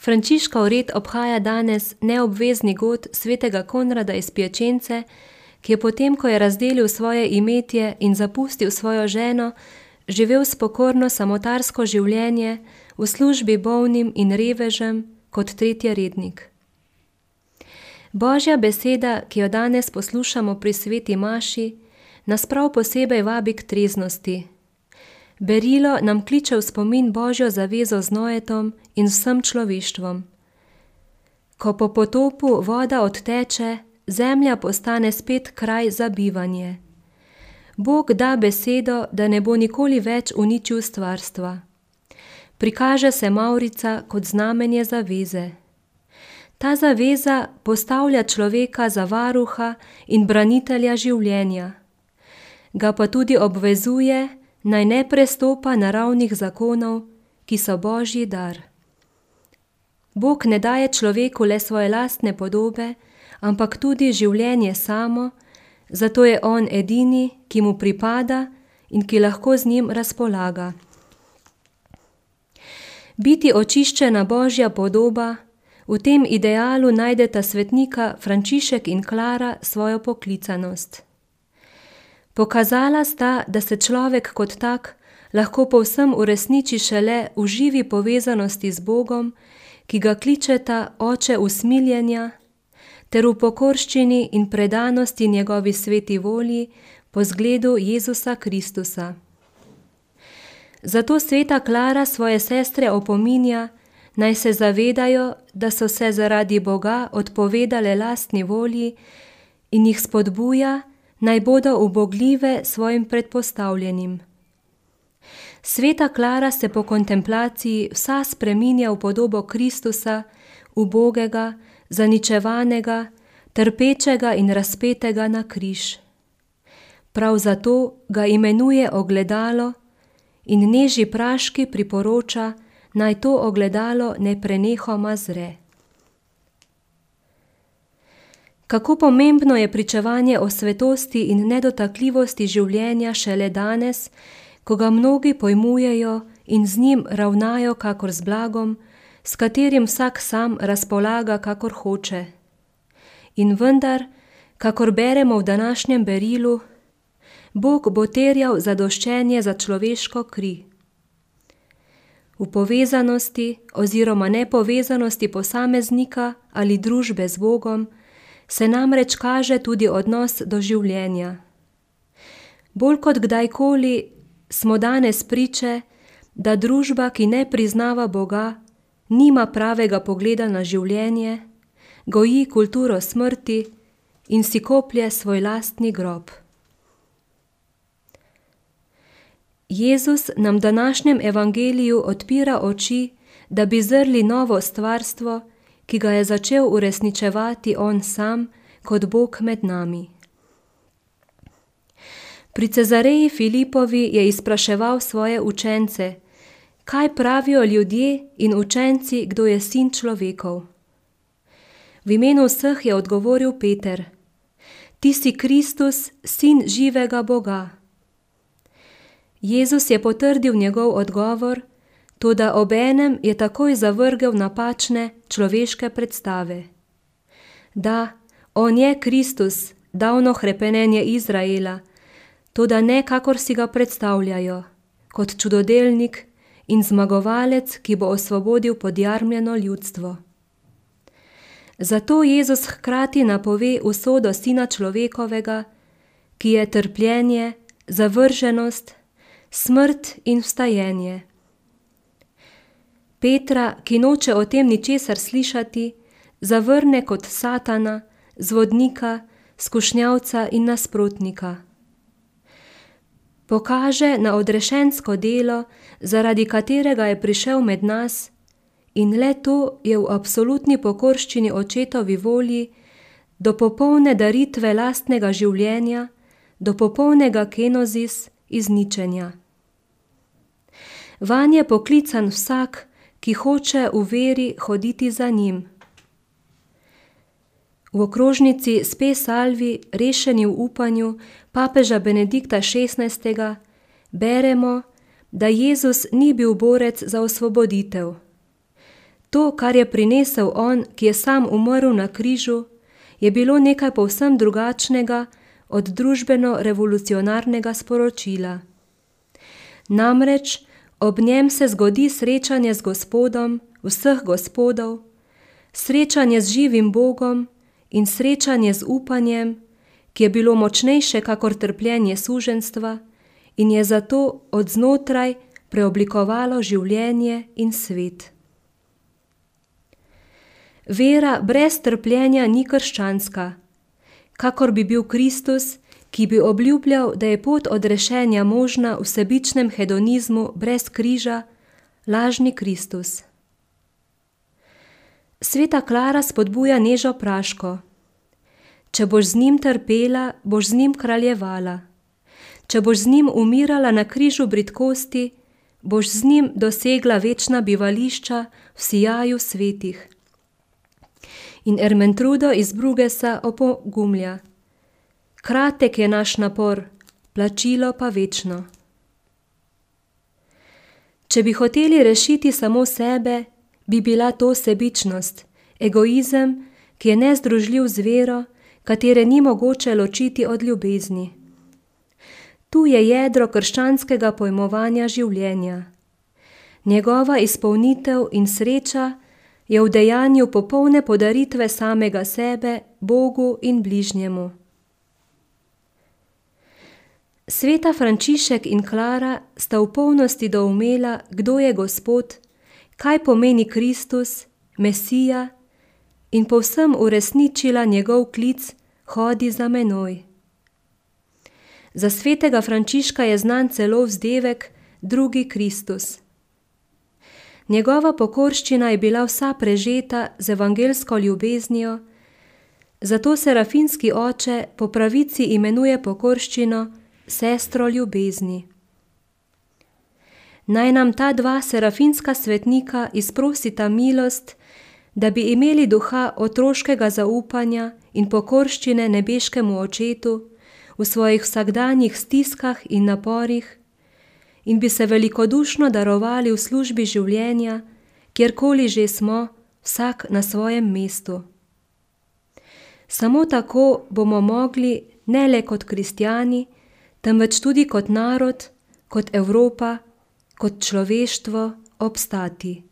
Frančiškov red obhaja danes neobvezni god svetega Konrada iz Piačence, ki je potem, ko je razdelil svoje imetje in zapustil svojo ženo, živel spokorno samotarsko življenje v službi bolnim in revežem kot tretjerednik. Božja beseda, ki jo danes poslušamo pri sveti maši, nas prav posebej vabi k treznosti. Berilo nam kliče v spomin Božjo zavezo z Noetom in vsem človeštvom. Ko po potopu voda odteče, zemlja postane spet kraj za bivanje. Bog da besedo, da ne bo nikoli več uničil stvarstva. Prikaže se mavrica kot znamenje zaveze. Ta zaveza postavlja človeka za varuha in branitelja življenja. Ga pa tudi obvezuje, naj ne prestopa naravnih zakonov, ki so Božji dar. Bog ne daje človeku le svoje lastne podobe, ampak tudi življenje samo, zato je on edini, ki mu pripada in ki lahko z njim razpolaga. Biti očiščena Božja podoba, v tem idealu najdeta svetnika Frančišek in Klara svojo poklicanost. Pokazala sta, da se človek kot tak lahko povsem uresniči šele v živi povezanosti z Bogom, ki ga kličeta Oče usmiljenja, ter v pokorščini in predanosti njegovi sveti volji po zgledu Jezusa Kristusa. Zato sveta Klara svoje sestre opominja, naj se zavedajo, da so se zaradi Boga odpovedale lastni volji in jih spodbuja, naj bodo ubogljive svojim predpostavljenim. Sveta Klara se po kontemplaciji vsa spreminja v podobo Kristusa, ubogega, zaničevanega, trpečega in razpetega na križ. Prav zato ga imenuje ogledalo in Neži Praški priporoča, naj to ogledalo neprenehoma zre. Kako pomembno je pričevanje o svetosti in nedotakljivosti življenja šele danes, ko ga mnogi pojmujejo in z njim ravnajo kakor z blagom, s katerim vsak sam razpolaga kakor hoče. In vendar, kakor beremo v današnjem berilu, Bog bo terjal zadoščenje za človeško kri. V povezanosti oziroma nepovezanosti posameznika ali družbe z Bogom se namreč kaže tudi odnos do življenja. Bolj kot kdajkoli smo danes priče, da družba, ki ne priznava Boga, nima pravega pogleda na življenje, goji kulturo smrti in si koplje svoj lastni grob. Jezus nam v današnjem evangeliju odpira oči, da bi zrli novo stvarstvo, ki ga je začel uresničevati on sam kot Bog med nami. Pri Cezareji Filipovi je izpraševal svoje učence, kaj pravijo ljudje in učenci, kdo je sin človekov. V imenu vseh je odgovoril Peter, ti si Kristus, sin živega Boga. Jezus je potrdil njegov odgovor, toda obenem je takoj zavrgel napačne človeške predstave. Da, on je Kristus, davno hrepenenje Izraela, toda ne kakor si ga predstavljajo, kot čudodelnik in zmagovalec, ki bo osvobodil podjarmljeno ljudstvo. Zato Jezus hkrati napove usodo Sina človekovega, ki je trpljenje, zavrženost, smrt in vstajenje. Petra, ki noče o tem ničesar slišati, zavrne kot Satana, zvodnika, skušnjavca in nasprotnika. Pokaže na odrešensko delo, zaradi katerega je prišel med nas, in le to je v absolutni pokorščini očetovi volji, do popolne daritve lastnega življenja, do popolnega kenozis, izničenja. Vanj je poklican vsak, ki hoče v veri hoditi za njim. V okrožnici Spe Salvi, rešeni v upanju papeža Benedikta XVI, beremo, da Jezus ni bil borec za osvoboditev. To, kar je prinesel on, ki je sam umrl na križu, je bilo nekaj povsem drugačnega od družbeno-revolucionarnega sporočila. Namreč ob njem se zgodi srečanje z Gospodom vseh gospodov, srečanje z živim Bogom in srečanje z upanjem, ki je bilo močnejše kakor trpljenje suženjstva in je zato od znotraj preoblikovalo življenje in svet. Vera brez trpljenja ni krščanska, kakor bi bil Kristus, ki bi obljubljal, da je pot odrešenja možna v sebičnem hedonizmu brez križa, lažni Kristus. Sveta Klara spodbuja Nežo Praško. Če boš z njim trpela, boš z njim kraljevala. Če boš z njim umirala na križu bridkosti, boš z njim dosegla večna bivališča v sijaju svetih. In Ermentrudo iz Brugesa opogumlja. Kratek je naš napor, plačilo pa večno. Če bi hoteli rešiti samo sebe, bi bila to sebičnost, egoizem, ki je nezdružljiv z vero, katere ni mogoče ločiti od ljubezni. Tu je jedro krščanskega pojmovanja življenja. Njegova izpolnitev in sreča je v dejanju popolne podaritve samega sebe, Bogu in bližnjemu. Sveta Frančišek in Klara sta v polnosti doumela, kdo je Gospod, kaj pomeni Kristus, Mesija, in povsem uresničila njegov klic Hodi za menoj. Za svetega Frančiška je znan celo vzdevek Drugi Kristus. Njegova pokorščina je bila vsa prežeta z evangelsko ljubeznijo, zato serafinski oče po pravici imenuje pokorščino sestro ljubezni. Naj nam ta dva serafinska svetnika izprosita milost, da bi imeli duha otroškega zaupanja in pokorščine nebeškemu očetu v svojih vsakdanjih stiskah in naporih in bi se velikodušno darovali v službi življenja, kjerkoli že smo, vsak na svojem mestu. Samo tako bomo mogli ne le kot kristjani, temveč tudi kot narod, kot Evropa, kot človeštvo obstati.